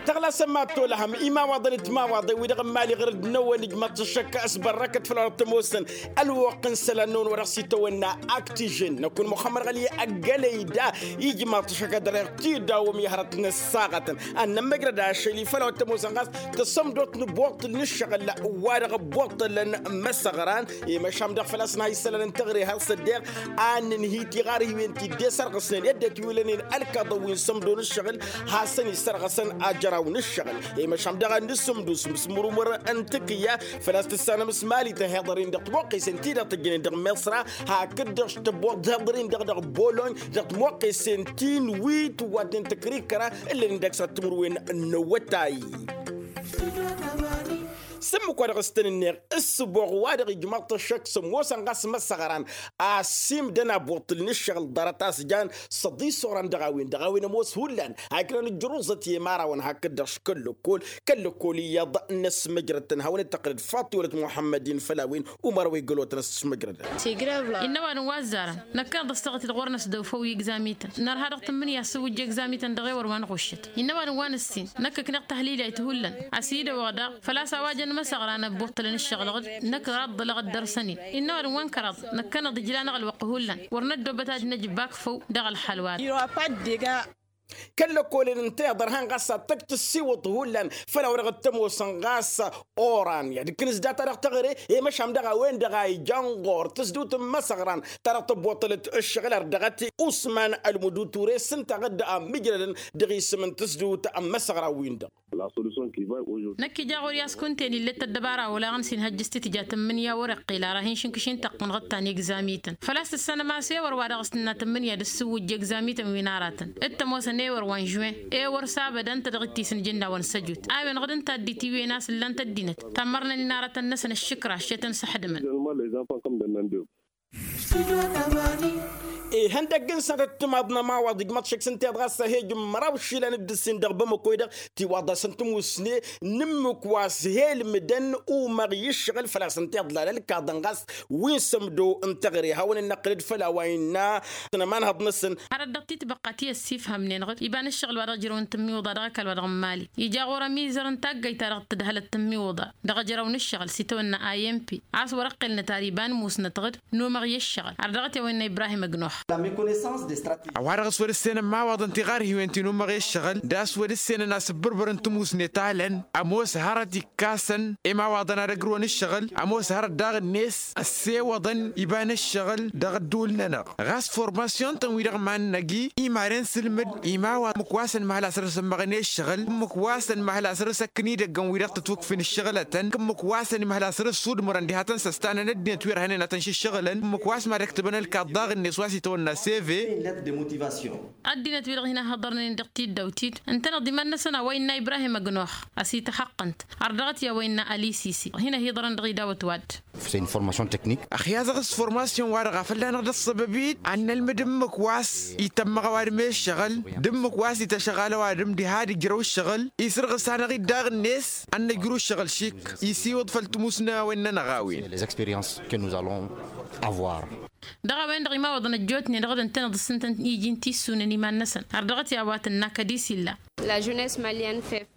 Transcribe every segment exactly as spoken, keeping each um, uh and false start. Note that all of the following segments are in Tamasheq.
Tăɣlasăn mad-tolăhăm imawaḍăn d-timawaḍen-wi-dăɣ n-imali ɣur-dd-năwăn ijmaḍ-t ăššăk. S-bărrăkăt făll-a-wăr t-ămoosăn ălwăqq n-isălan-năwăn wa dăɣ-s itawănna, aktijăn năkk n-imăxămmăr ɣăli ăggălăy da. Ijmaḍ-t ăššăk ad-dăr-eɣ tidawăm i-hărăt n-ăssaɣătăn ad-nămmăjrăd ašăl i-făll-a-wăr t-ămoosăn ɣas tăsămdot n-buṭṭǝl n-ǝššăɣǝl wa-dăɣ buṭṭǝl n-imăsăɣran. I-măšan dăɣ-făl-a-s n-ha isălan n-teɣăre har s-ăddeɣ ad-nǝnhǝy tiɣarhiwen ti dd-e-sărɣǝsnen i-ăddinăt wi ǝllănen ălkaḍăn wi n-sămdo n-ǝššăɣǝl. Hasăn-isărɣǝsăn ajăraw n-ǝššăɣǝl. I-măšan dăɣ-ad-nǝsǝmdǝw s-imǝsmǝrǝmǝr n-tǝkǝyya făl-a-s tǝssanăm s-mali tăhiḍăr-in-dăɣ timoqqesen-ti-dăɣ tǝjjănen dăɣ-miṣra. Hakd-dăɣ tăboḍ tihiḍăr-in-dăɣ dăɣ-bolony dăɣ-timoqqesen-tin wi tǝwwaten tǝkrikăra ǝllănen dăɣ-s ad-timǝrwen n-awătay. S-ǝmmǝk wa dăɣ-s tăn-ǝnneɣ ǝssǝboɣ wa-dăɣ ijmaḍ-t ăššăk s-ămoosăn ɣas imăsăɣran. Asimdăn abuṭṭǝl n-ǝššăɣǝl ḍarăt a-s jan săḍis oran dăɣ-a-wen dăɣ-a-wen ămoos hullan. Hakd-năn ǝjruẓăt i-imărawăn hakd-dăɣ s-kăl-lăkkol kăl-lăkkol iyyăḍ n-ăsmăjrăd-tăn hawăn-dd-tăqqǝlăd faṭ i-wălăt muḥămmăd-in făll-a-wen. Umăr wa igălotăn ăsmăjrădăn. Innă ăwadǝm wa ăzzarăn năkkăneḍ ăssaɣăt-dd ɣur-năs dăw-făw i-egzamităn nărha dăɣ-tǝmmǝnǝya s-sǝwwǝjja egzamităn dăɣ-ewăr wa n-ɣuššăt. Innă ăwadǝm wa n-ǝssin năkk ǝkneɣ tahlilayt hullan. Ăsidăwăɣ daɣ făl-a-s a-wa jăn imăsăɣra n-ăbbuṭṭălăn ǝššăɣǝl-ɣǝd năkk ăraḍḍălăɣ dd-ărsăn-in. Innă ăwadǝm wa n-kăraḍ năkkăneḍ ǝjlan aɣǝlwăqq hullan wăr năddoobăt ad-năj bak făw dăɣ-ălxal wa-dăɣ. Kăl-lăkkolăn ǝnta iḍărhan ɣas ad-tăkk tǝssiwǝḍt hullan făll-a-wa dăɣ-t tămoosăn ɣas oran i-ad-ǝkkǝnǝs data-dăɣ teɣăre. I-măšan dăɣ-a-wen-dăɣ a ijan ɣur-tǝsdǝwt n-imăsăɣran ta dăɣ-tăbboṭṭălăt ǝššăɣǝl ar dăɣ-t usman ălmuduture s-ǝnta ɣǝdda a ǝmmǝjrădăn dăɣ-isǝm n-tǝsdǝwt n-imăsăɣran-win-dăɣ. Năkk ija ɣur-i a-s kunta-en ill'-e d-tăddăbara olaɣăn s-inhăjjăš titǝja tǝmmǝnǝya wăr-iqqil ara hin-šǝnkǝš-in tăqqǝnɣăt ta n-egzamităn făl-a-s tǝssanăm a-s ewăr wa dăɣ-s tǝnna tǝmmǝnǝya d-ǝssǝwwǝjja egzamităn wi n-aratăn. D-tămoosăn ewăr wa n-žuwen ewăr s-abădăn tădɣǝt-i s-nǝjǝnnawăn săjut a-wen ɣǝd ǝnta ăddit iwen a-s ǝllan-t ăddinăt tammărnen inarătăn-năsăn ăššǝkra šetăn s-ăxdǝmăn. Ihăndăgg n-sănătăt timaḍ n-ămawaḍ ijmăḍ šăkk s-ǝnta iḍɣas a he-ijǝmmăraw išilan d-ǝssin dăɣ-bamăko-i-dăɣ tiwaḍ-asăn tǝmusne n-ǝmmǝk wa s-he-ǝlmǝdăn umăɣ i-ǝššăɣǝl făl-a-s ǝnta iḍlal ălkaḍăn ɣas wi n-sămdo n-teɣăre hawăn-dd-năqqǝlăd făll-a-wa innă. Tăn-ămanhăḍ-năsăn. Hărăt dăɣ-titbăqqa ti ăssifhămnen ɣǝd iba n-ǝššăɣǝl wa dăɣ-ijrăwăn tǝmmiwǝḍa dăɣ-ăkall wa dăɣ-n-mali ija ɣur-ămizăr n-taggayt-ta-dăɣ tǝdhălăt tǝmmiwǝḍa dăɣ-ejăraw n-ǝššăɣǝl s-itawănna i m p a-s wăr-ăqqilnăt ar iba n-musnăt ɣǝd n-umăɣ i-ǝššăɣǝl har dăɣ-t i-a-wa innă ibrahim ăgg-nox. A-wa-dăɣ s-wăr-ǝssenăn imawaḍăn tiɣarhiwen ti n-umăɣ i-ǝššăɣǝl d-a-s wăr-ǝssenăn asǝbbărbăr n-timusne talăn ămoos hărăt ikkasăn imawaḍăn ad-ăgrǝwăn ǝššăɣǝl ămoos hărăt daɣ-net ăssewăḍăn iba n-ǝššăɣǝl dăɣ-ădduul-nănăɣ. Ɣas formasyon-tăn-wi-dăɣ iman-năgi imaren s-ǝlmǝd imawaḍăn ǝmmǝk wa s-ănmăhăl a săr-ăsǝmmăɣăn i-ǝššăɣǝl ǝmmǝk wa s-ănmăhăl a săr-ăsăkkăn idăggăn-wi-dăɣ tătwǝkf n-ǝššăɣǝlătăn ǝmmǝk wa s-ănmăhăl a săr-ăssudmărăn diha tăn-săstanăn ăddinăt wi ărhănen ad-tăn-šǝššăɣǝlăn ǝmmǝk wa s-mad-ăktăbăn ălkaḍ daɣ-net wa s-itawănna seve. Ăddinăt-wi-dăɣ hin-ăhhăḍărnen dăɣ-tiddawt-dd ǝntăneḍ iman-năsăn a-wa innă ibrahim ăgg-nox ăsităxăqqăn-t ărdăɣăt i-a-wa innă ălisisi hin-ăhiḍărăn dăɣ-idawăt-wa-dd. Ăxyaẓăɣ s-formasyon-wa-dăɣ a fălla-năɣ dd-ăṣṣăbăb-dd ad-nălmǝd ǝmmǝk wa s-itămmăɣ ăwadǝm i-ǝššăɣǝl d-ǝmmǝk wa s-ităšăɣal ăwadǝm diha ad-ǝjrăw ǝššăɣǝl isǝrɣǝs-anăɣ-dd daɣ-net ad-nǝjrǝw ǝššăɣǝl šik isiwǝḍ făll-tǝmusna a-wen-nănăɣ a-wen. Dăɣ-a-wen-dăɣ imawaḍăn ăjjootnen dăɣ-dd ǝntăneḍ s-ǝntăn iji n-tissunen iman-năsăn har dăɣ-t i-a-wa tǝnna kăd-isilla.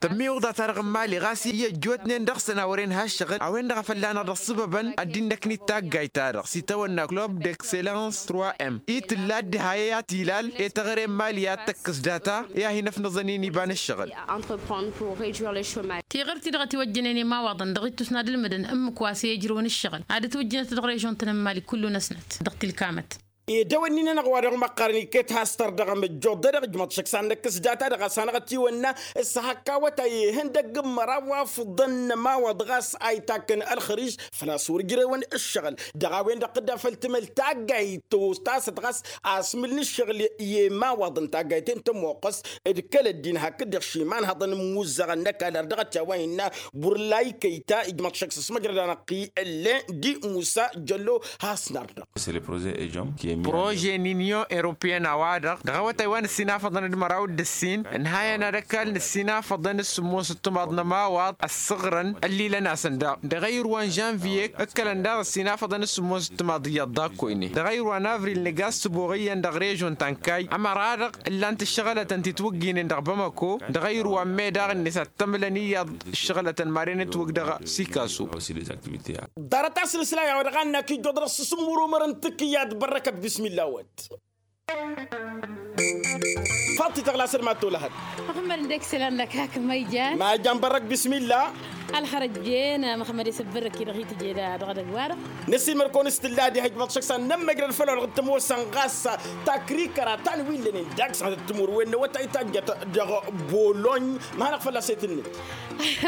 Tămmiwǝḍa-ta-dăɣ n-mali ɣas i-ăjjootnen dăɣ-săn a wăren ha ǝššăɣǝl a-wen-dăɣ a fălla-năɣ dăɣ-sǝbăbăn ăddin-năknit taggayt-ta-dăɣ s-itawănna club d-excellence trois m i-tǝlla dd-ha i-ad-t-ilal i-teɣăre n-mali i-ad-tăkkǝs data i-ad-hin-ăfnăẓăn-in iba n-ǝššăɣǝl. Tiɣǝrt-i-dăɣ ătiwăjjănen i-imawaḍăn dăɣ-ittus n-ad-ǝlmǝdăn ǝmmǝk wa s-e-ijrǝwăn ǝššăɣǝl ad-ǝtwǝjjǝnăt dăɣ-režon-tăn n-mali kullu-năsnăt dăɣ-tilkamăt. Ed a-wen-nin-anăɣ wa dăɣ-măqqarăn iket has-tărdăɣăm ăjjoḍ-dăɣ ijmăḍ šăkk s-ad-năkkǝs data-dăɣ a-s hanăɣ-ătiwănna s-hak awătay ihăndăgg n-măraw wa fǝḍăn n-ămawaḍ ɣas a itakk n-ălxărij făl-a-s wăr ǝjrewăn ǝššăɣǝl. Dăɣ-a-wen-dăɣ tǝdda făll-timăl taggayt tostasăt ɣas asmǝl n-ǝššăɣǝl i-imawaḍăn taggayt-en tămoqqăs d-kăl-ăddin hakd-dăɣ šimanhăḍăn n-imuzzăɣăn n-ăkall ar dăɣ-t i-a-wa innă burlay kăyta ijmăḍ šăkk s-ăsmăjrăd-anăɣ-i ǝllen d-musa jăllo. Has-nărdăɣ. Prože n-inyon europeyăn a-wa-dăɣ dăɣ-awătay wa nǝssinafăḍăn d-măraw d-ǝssin ǝnhayăn ad-ăkall nǝssinafăḍăn s-sǝmmos ǝttǝmaḍ n-ămawaḍ ăssăɣrăn ăllilăn-asăn daɣ dăɣ-ayǝr wa n-žănviye. Ǝkkălăn daɣ ǝssinafăḍăn s-sǝmmos ǝttǝmaḍ iyyăḍ d-akkoyne dăɣ-ayǝr wa n-avril nǝga ăssǝboɣ iyyăn dăɣ-režon ta n-kayy ămăra-dăɣ ǝllan-t ǝššăɣǝlătăn ti t-wǝgginen dăɣ-bamako dăɣ-ayǝr wa n-me daɣ-net ad-t-ămlăn iyyăḍ ǝššăɣǝlătăn maren ătwăgg dăɣ-sikasu. Ḍarăt-as n-aslan a-wa dăɣ-annăk ijjuḍ dăɣ-s s-ǝmmǝrumăr n-tǝkǝyyat bărrăkăt bismilla-wăt. Faḍt-i tăɣlasăd mad-tolăhăd. Măxămmăd ǝndek sălan-năk hak ma ijan. Ma ijan bărrăk bismilla. Ălxărăjjen măxămmăd i-săbbărrăk-i-dăɣ hi-tǝje dăɣ-edăgg-wa-dăɣ. Năsiilmăr-kăwăn s-tǝlla diha ijmaḍ šăkk s-ad-nămmăjrăd făll-wa-dăɣ t-ămoosăn ɣas takrikkăra ta n-wi ǝllănen dagg-s ad-tǝmur wen n-awătay tajjăt dăɣ-bolony. Ma hanăɣ-fălla-s e-tǝnned.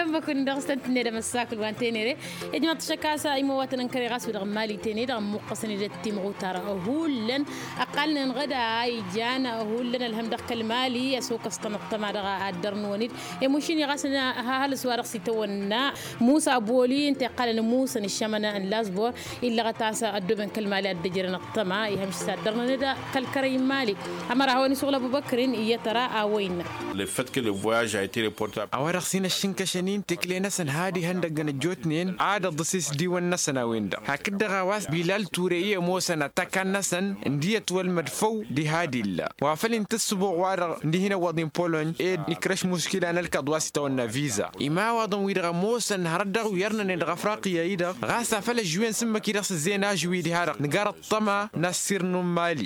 Ămmăk-wǝnnin dăɣ-s tăn-tǝnned amăssakǝl wa n-tenere. Ijmaḍ-t šăkk a-s imăwatăn n-kăre ɣas wi-dăɣ n-mali tene-dăɣ ǝmmuqqăsăn-dd ăttimɣutar hullan. Ăqqalnen ɣǝda a ijan hullan ălhăm dăɣ-kăl-mali ăsokăs-tăn ăṭṭăma dăɣ-addăr-năwăn-dd. Emušini ɣas n-ahălǝs wa dăɣ-s itawănna musa boli ǝnta iqqalăn musăn ǝššămăn n-lazbor. Illăɣăt a-s ăddooben kăl-mali ad-dd-ǝjrăn ăṭṭăma ihămš s-addărnăn-dd kăl-kărăy n-mali. Ămăra hawăn-isuɣǝl ăbubăkrin iyyăt ăra a-wa innă. Le fait que le voyage a été reporté. A-wa-dăɣ s-hin-ăššǝnkăšăn-in tekle-năsăn had ihăndăggăn ăjjootnen ad-ăḍḍǝs isdiwăn-năsăn a-wen-dăɣ hakd-dăɣ a-wa s-bilal ture i-ămoosăn ăttak'-annăsăn ǝndi ătwălmăd făw diha d-illa. Wa făl intǝssǝbuɣ wa-dăɣ ǝndi hin-ăwwăḍ-in polony ed ikrăš muškila n-ălkăḍ wa s-itawănna viza. Imawaḍăn-wi-dăɣ ămoosăn hărăt dăɣ-iyyărnănen dăɣ-afriqya-i-dăɣ ɣas afăl ăžwen s-ǝmmǝk-i-dăɣ s-ǝzzeyăn ažwi diha-dăɣ nǝgar ăṭṭăma n-assirnu n-mali.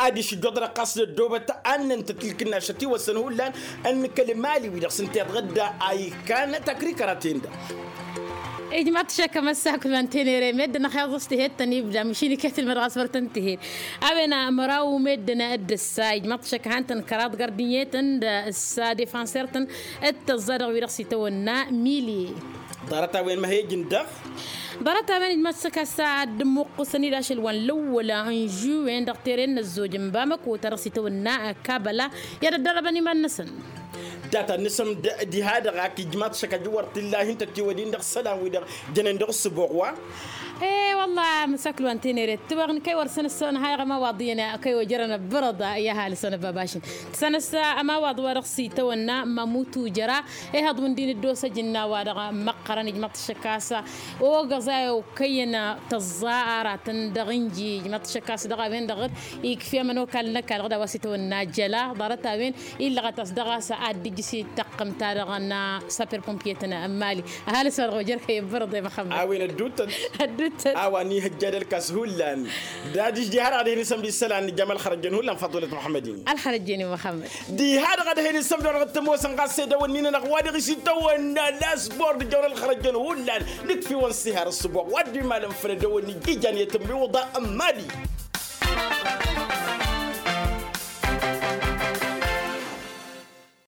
Ad-išǝjjăḍ dăɣ-ɣas d-ăddoobăt annăn-tăt ilkǝnnašăt iwăssăn hullan n-kăl-mali-wi-dăɣ s-ǝnta iḍɣǝd a ikkan takrikăra-ten-dăɣ. Ijmaḍ-t šăkk amăssakul wa n-tenere meddǝn ăxyaẓ s-tihet-tăn ibda măšin iket ǝlmăd ɣas wăr tăn-tihet. A-wen măraw meddǝn dd-ǝssa ijmaḍ-t šăkk han-tăn kăraḍ gardǝnyetăn d-ǝssa defanser-tăn d-tăẓẓa dăɣ-wi-dăɣ s-itawănna milye. Ḍarăt-a-wen ma he-ǝjǝn-dăɣ. Ḍarăt-a-wen ijmaḍ-t šăkk a-s ad-dd-ǝmmuqqǝsăn-dd ašăl wa n-lăwwăla n-žuwen dăɣ-teren n-ăzzojăn bamăko ta dăɣ-s itawănna kabăla. I-ad-ăddărăbăn iman-năsăn. Data n-isǝm diha-dăɣ ak ijmaḍ-t šăkk ajǝwwăr tǝlla hin-tătiwădin dăɣ-isălan-wi-dăɣ jănen dăɣ-ǝssǝboɣ wa. E-wălla măsakǝl wa n-tenere ǝttǝwăɣ n-kăy wăr săn ǝssăwăn hayăɣ ămawaḍ iyyăn kăy ojărăn ăbbărăḍ i-ahal săn ăbbabašăn. Tǝsăn ăssa ămawaḍ wa dăɣ-s itawănna mămutu jăra. Ihăḍ wǝndin dd-osăj ǝnn'-a-wa-dăɣ măqqărăn ijmăḍ-t šăkk a-s ogăẓ a iwkăyăn tăẓẓa aratăn dăɣ-inji ijmăḍ-t šăkk a-s dăɣ-a-wen-dăɣ ikfi ămănokal n-ăkall ɣǝd a-wa s-itawănna jăla ḍarăt-a-wen. Illăɣăt a-s dăɣ-a-s ad-dd-ijǝs i-taqqǝmt-ta-dăɣ n-sapper pompiye-tăn n-mali. Ăhalǝs-wa-dăɣ ojărkăy ǝbbărăḍ i-măxămmăd. A-wen ădduuttăn. Ădduuttăn. A-wa n-ihăjja d-ălkas hullan dad-ijdi har ad-hin-isămd isălan nǝjjam ălxărăjjăn hullan faḍulăt măxămmăd-in. Ălxărăjjăn i-măxămmăd. Diha-dăɣ ad-hin-isămdăr dăɣ-tămoosăn ɣas edăwănnin-nănăɣ wa dăɣ-s itawănna lasbor dăjjăwăn ălxărăjjăn hullan. Nǝkf'-iwăn s-ihar ǝssǝboɣ wa dd-imalăn făll-edăwănni ijan i-tǝmmiwǝḍa n-mali.